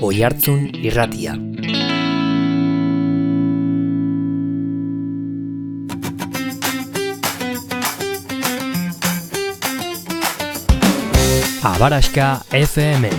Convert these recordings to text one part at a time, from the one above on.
Oihartzun Irratia. Abaraska FM.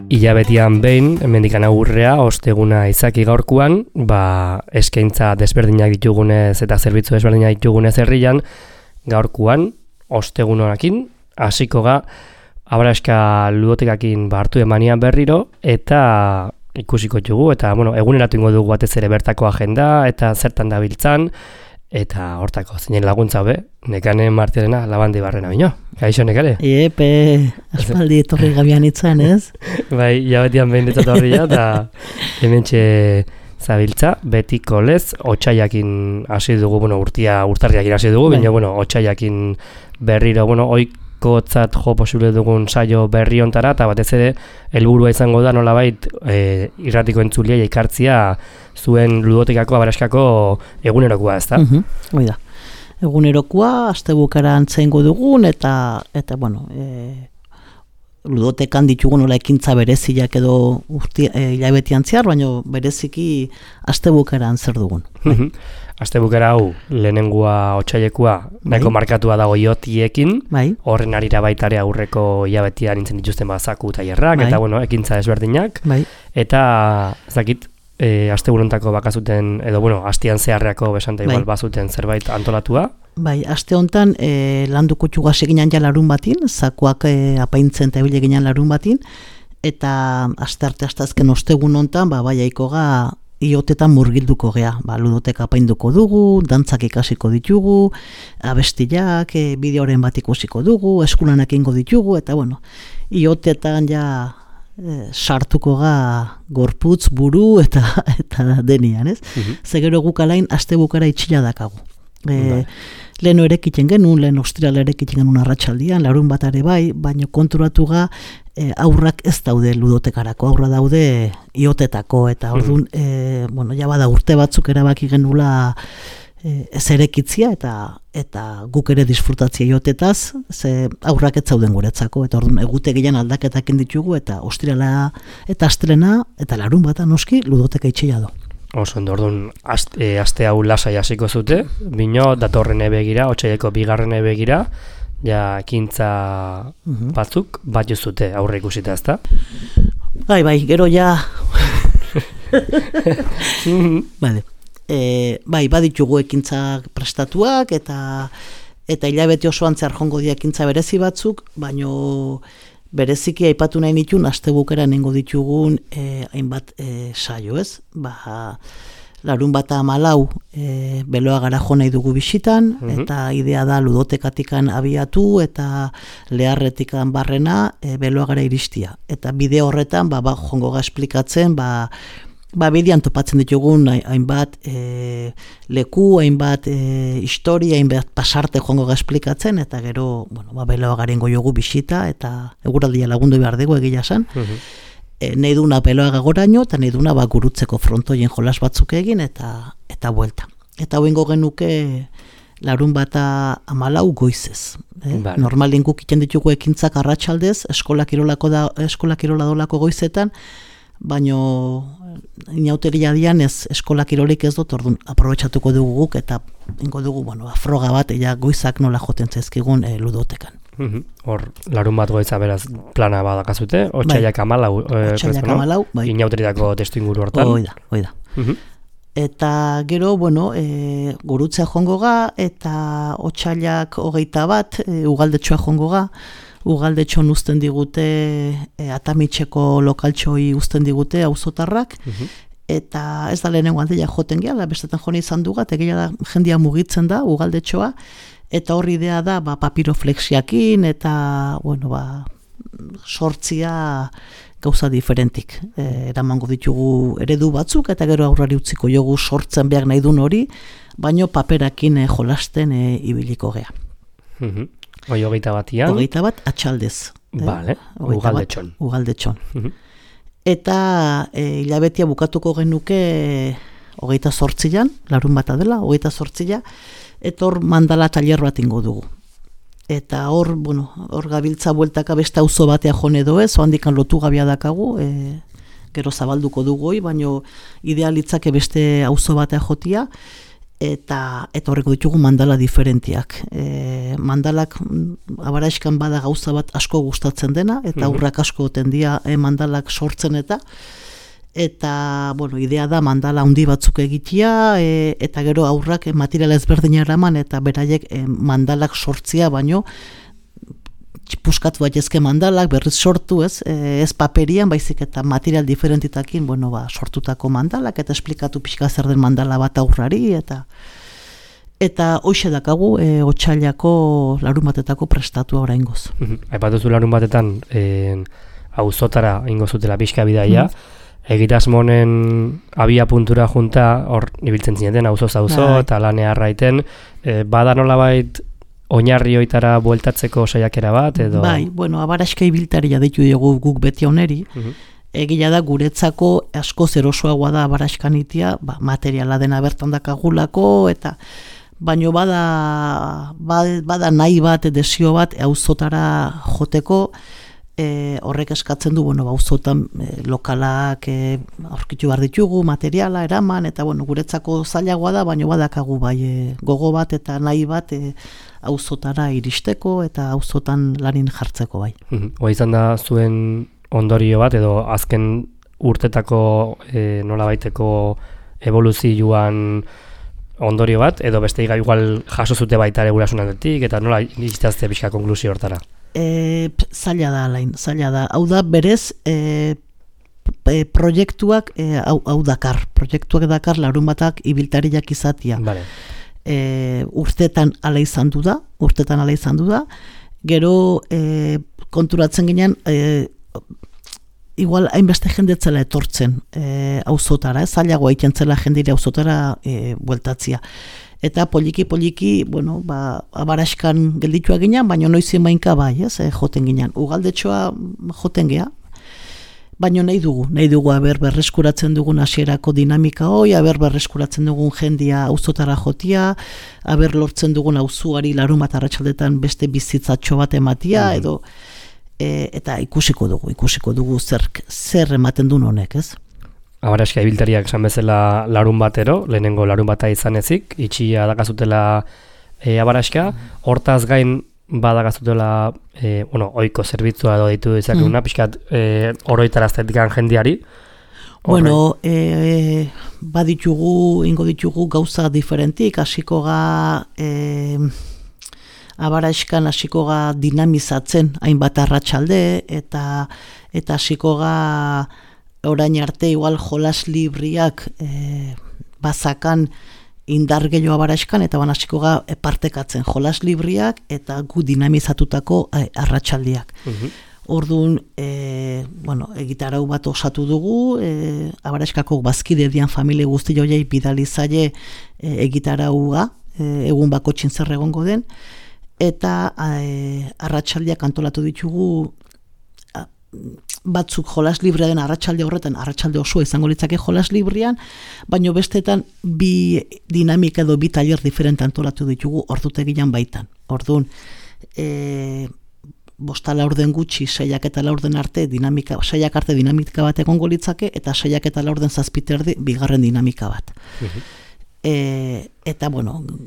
Ilabetian behin, hemendikan agurrea, osteguna izaki gaurkoan, eskaintza desberdinak ditugunez eta zerbitzu desberdinak ditugunez herrian, gaurkoan, ostegun honakin, hasiko ga, Abaraska ludotekakin hartu emanian berriro, eta ikusiko dugu, eta eguneratu ingo dugu batez ere bertako agenda, eta zertan dabiltzan, eta hortako zinen laguntza hobe, Nekane Martiarena Labandi Barrena bino. Gaixo, Nekane? Epe, aspaldi etorri gabian itzan, ez? Bai, jabetian behin etorria, eta hementxe zabiltza, betiko lez, otsaiakin hasi dugu, urtarriakin hasi dugu, baina, otsaiakin berriro, oikotzat jo posible dugun saio berri ontara, eta batez ere, helburua izango da nolabait irratiko entzuliai ekartzia zuen ludotekako, abaraskako egunerokoa, ez da? Hoi da. Egunerokoa, astebukara antzeingo dugun, eta ludotekan ditugun nola ekintza bereziak edo hilabetian zehar, baina bereziki astebukaran zer dugun. Astebukara hau, lehenengua otsailekua, nahiko markatua dago iotiekin, horren arira baitare aurreko hilabetian nintzen dituzten bazaku tailerrak, eta ekintza desberdinak, eta zakit, asteburontako bakazuten, edo astean zeharreako besanta igual bazuten zerbait antolatua. Bai, aste hontan landuko txugaz eginan ja larun batin, zakuak apaintzen eta ebile eginan larun batin, eta aste azken ostegun hontan, aiko ga iotetan murgilduko gea. Ludoteka apainduko dugu, dantzak ikasiko ditugu, abestiak, bideoren bat ikusiko dugu, eskulanak ingo ditugu, eta iotetan ja sartuko ga gorputz, buru eta denian, ez? Zegero guk alain astebukara itxila dakagu. Lehen erekiten genuen, lehen ostriala erekiten genuen arratsaldian, larun bat ere bai, baina konturatu ga aurrak ez daude ludotekarako, aurra daude iotetako, eta orduan, bada urte batzuk erabaki genula ez erekitzia eta guk ere disfrutatzia iotetaz, ze aurrak ez zauden guretzako, eta orduan egutegian aldaketak ditugu, eta ostriala eta astrena, eta larun bata noski ludoteka itxia do. Oso, orduan, aste hau lasai hasiko zute, bino, datorren begira, otsaileko bigarren begira, ja, ekintza batzuk, bat zute aurre ikusita, ezta? Bai, gero ja... baditugu ekintza prestatuak, eta hilabete osoan zehar jongo dia ekintza berezi batzuk, baino... Bereziki aipatu nahi nituen, astebukera nengo ditugun hainbat saio, ez? Larun bata 14 beloa gara jo nahi dugu bisitan, eta idea da ludotekatikan abiatu, eta leharretikan barrena beloa gara iristia. Eta bide horretan, jongo ga esplikatzen, bidean topatzen ditugun hainbat leku, hainbat historia, hainbat pasarte jongo ga esplikatzen, eta gero, beloa garen goiogu bisita, eta eguraldia lagundu behar dugu egia esan. Nahi duna beloa gagoraino, eta nahi duna gurutzeko frontoien jolas batzuk egin, eta buelta. Eta hoengo genuke larun bata 14 goizez. Normalien guk iten ditugu ekintzak arratsaldez, eskola kirola dolako goizetan, baino inauteria dian eskola kirolik ez dut, orduan aprobetxatuko dugu guk, eta ingo dugu, afroga bat, goizak nola joten zaizkigun ludotekan. Hor, larun bat goitza beraz plana badakazute, otsaiak 14, inauteriako testu inguru hortan. Hoi da. Eta gero, gurutzea jongo ga, eta otsailak 21, ugaldetxoa jongo ga, ugaldetxon uzten digute, Atamitxeko lokaltxoi uzten digute, auzotarrak, eta ez da lehenengo aldeia joten gehala, bestetan jone izan duga, eta gehiago jendia mugitzen da, ugaldetxoa, eta horri idea da, papiroflexiakin, eta, sortzia gauza diferentik. Eramango ditugu eredu batzuk, eta gero aurrari utziko jogu sortzen behar nahi duen hori, baino paperakin jolasten ibiliko gea. Hogeita batian? Hogeita bat atxaldez. Vale, Ugaldetxon. Ugaldetxon. Eta hilabetea bukatuko genuke 28an, larun bata dela, 28a, eta hor mandala tailer bat ingo dugu. Eta hor gabiltza bueltaka beste auzo batea jone edo ez, handikan lotu gabia dakagu, gero zabalduko dugu hoi, baino idealitzake beste auzo batea jotia, eta horreko ditugu mandala diferentiak. Mandalak Abaraxkan bada gauza bat asko gustatzen dena, eta aurrak asko tendia mandalak sortzen eta idea da mandala handi batzuk egitea, eta gero aurrak materiala ezberdina eraman, eta beraiek mandalak sortzia, baino puskatu baitezke mandalak, berriz sortu, ez paperian, baizik eta material diferentitakin, sortutako mandalak, eta esplikatu pixka zer den mandala bat aurrari, eta hoxe dakagu, otsailako larun batetako prestatua oraingoz. Aipatuzu larun batetan, auzotara ingo zutela pixka bidaia, egitasmonen abia puntura junta, hor ibiltzen zineten, auzoz auzo, eta lanea arraiten, bada nolabait oinarri hoitara bueltatzeko saiakera bat, edo? Bai, Abaraxka ibiltaria deitu dugu guk beti oneri, egia da guretzako asko zerosoagoa da Abaraxkan itia, materiala dena bertan dakagulako, eta baino bada nahi bat, desio bat, auzotara joteko, horrek eskatzen du, auzotan lokalak aurkitu behar ditugu, materiala, eraman, eta guretzako zailagoa da, baino badakagu bai gogo bat eta nahi bat auzotara iristeko eta auzotan lanin jartzeko bai. Hoa izan da zuen ondorio bat, edo azken urtetako nolabaiteko evoluzioan ondorio bat, edo beste igual jaso zute baita ere gurasunaldetik, eta nola iristazte pixka konklusio hortara? Zaila da, Alain, zaila da. Hau da, berez, proiektuak dakar larun batak ibiltariak izatia. Vale. Urtetan ala izan du da, gero konturatzen ginen, igual hainbeste jendetzela etortzen auzotara, zailagoa itentzela jendire auzotara bueltatzia. Eta poliki, Abaraxkan gelditua ginen, baina noizien bainka bai, joten ginen. Ugaldetxoa joten gea, baina nahi dugu berreskuratzen dugun hasierako dinamika hoi, berreskuratzen dugun jendia auzotara jotia, lortzen dugun auzuari larun bat arratsaldetan beste bizitzatxo bat ematia, edo eta ikusiko dugu zer ematen duen honek, ez? Abaraxka ibiltariak esan bezala larun batero, lehenengo larun bata izan ezik, itxia dakazutela Abaraxka, hortaz gain badakazutela ohiko zerbitzua edo ditu izakeguna, pixkat oroitaraztetikan jendiari. Ingo ditugu gauza diferentik, hasiko ga Abaraxkan hasiko ga dinamizatzen hainbat arratsalde, eta hasiko ga orain arte igual jolas libriak bazakan indar gehiago Abaraxkan, eta hasiko ga partekatzen jolas libriak eta gu dinamizatutako arratsaldiak. Orduan, egitarau bat osatu dugu, Abaraxkako bazkide dian familia guzti joiei bidali zaie egitaraua, egun bakotxin zer egongo den, eta arratsaldiak antolatu ditugu, batzuk jolas librea den arratsalde horretan, arratsalde osoa izango litzake jolas librian, baino bestetan bi dinamika edo bi tailer diferente antolatu ditugu ordutegian baitan. Orduan, 5:04 gutxi, 6:04 arte dinamika, 6 arte dinamika bat egongo litzake, eta 6:04 7:30 bigarren dinamika bat. Eta,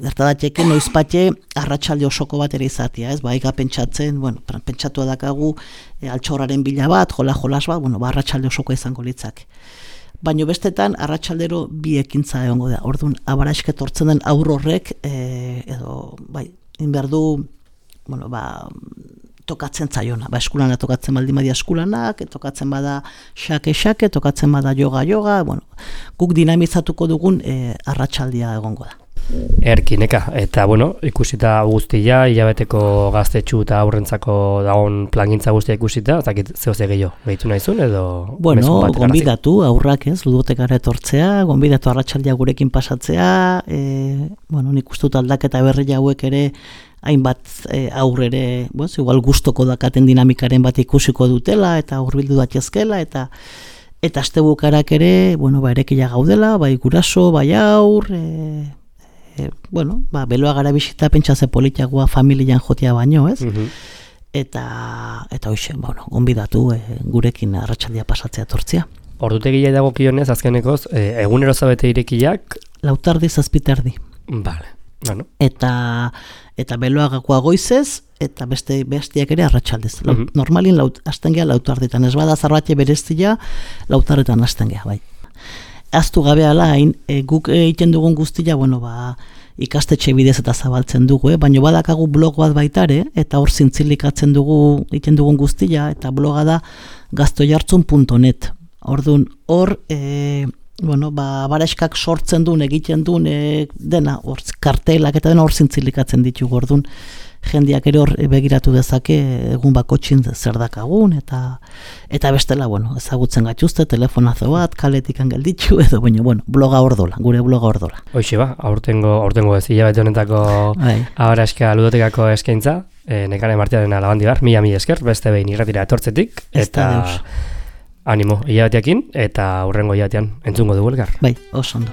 gertadateke noizpatxe arratsalde osoko bat ere izatea, ez? Baiga pentsatzen, pentsatu dakagu altxorraren bila bat, jolas bat, arratsalde osoko izango litzake. Baina bestetan, arratsaldero bi ekintza egongo da. Orduan, Abaraxka etortzen den aur horrek, inberdu, tokatzen zaiona. Eskulana tokatzen baldin badia eskulanak, tokatzen bada xake, tokatzen bada yoga, guk dinamizatuko dugun arratsaldia egongo da. Erkineka, eta ikusita guztia, hilabeteko gaztetxu eta aurrentzako dagoen plangintza guztia ikusita, ezakit zehose gehitu nahizun, edo... Gonbidatu, aurrak ez, ludotekara etortzea, gonbidatu arratsaldia gurekin pasatzea, nik ustut aldaketa berri hauek ere hainbat aurrere, igual gustoko dakaten dinamikaren bat ikusiko dutela, eta hurbildu datezkela, eta astebukarak ere, erekila gaudela, bai guraso, bai aur, beloa gara bisita pentsaze politiagoa familian jotea baino, ez? Eta hoxe, gonbidatu gurekin arratsaldia pasatzea tortzia. Ordutegia dago kionez, azkenekoz, egunero zabete irekiak? 6:00 7:30. Vale, bueno. Eta beloagakoa goizez, eta bestiak ere arratsaldez. Normalin hasten geha 6:00, ez bada zarbate bereztia 6:00 hasten geha, bai. Aztu gabe alain, guk egiten dugun guztia, ikastetxe bidez eta zabaltzen dugu, baina badakagu blog bat baitare, eta hor zintzilikatzen dugu, egiten dugun guztia, eta bloga da gaztoiartzun.net. Orduan, hor, bareskak sortzen duen, egiten duen, dena, hor, kartelak eta dena hor zintzilikatzen ditugu, orduan, jendeak ere hor begiratu dezake egun bakotxin zer dakagun, eta bestela, ezagutzen gaituzte, telefonazo bat, kaletik angelditu, edo, bloga hor dola, gure bloga hor dola. Hoxe aurtengo ez, hilabete honetako abaraska ludotekako eskaintza, Nekane Martiaren alabandi bar, mila esker, beste behin irratira etortzetik, eta animo, hilabeteakin, eta hurrengo hilabetean entzungo dugu elkar. Bai, oso ondo.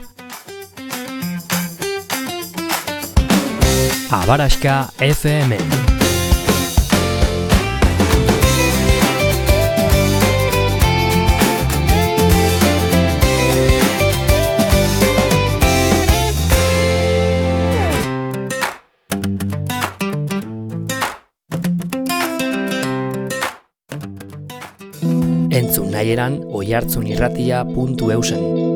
Abaraska FM. Entzun nahieran oihartzunirratia.eusen.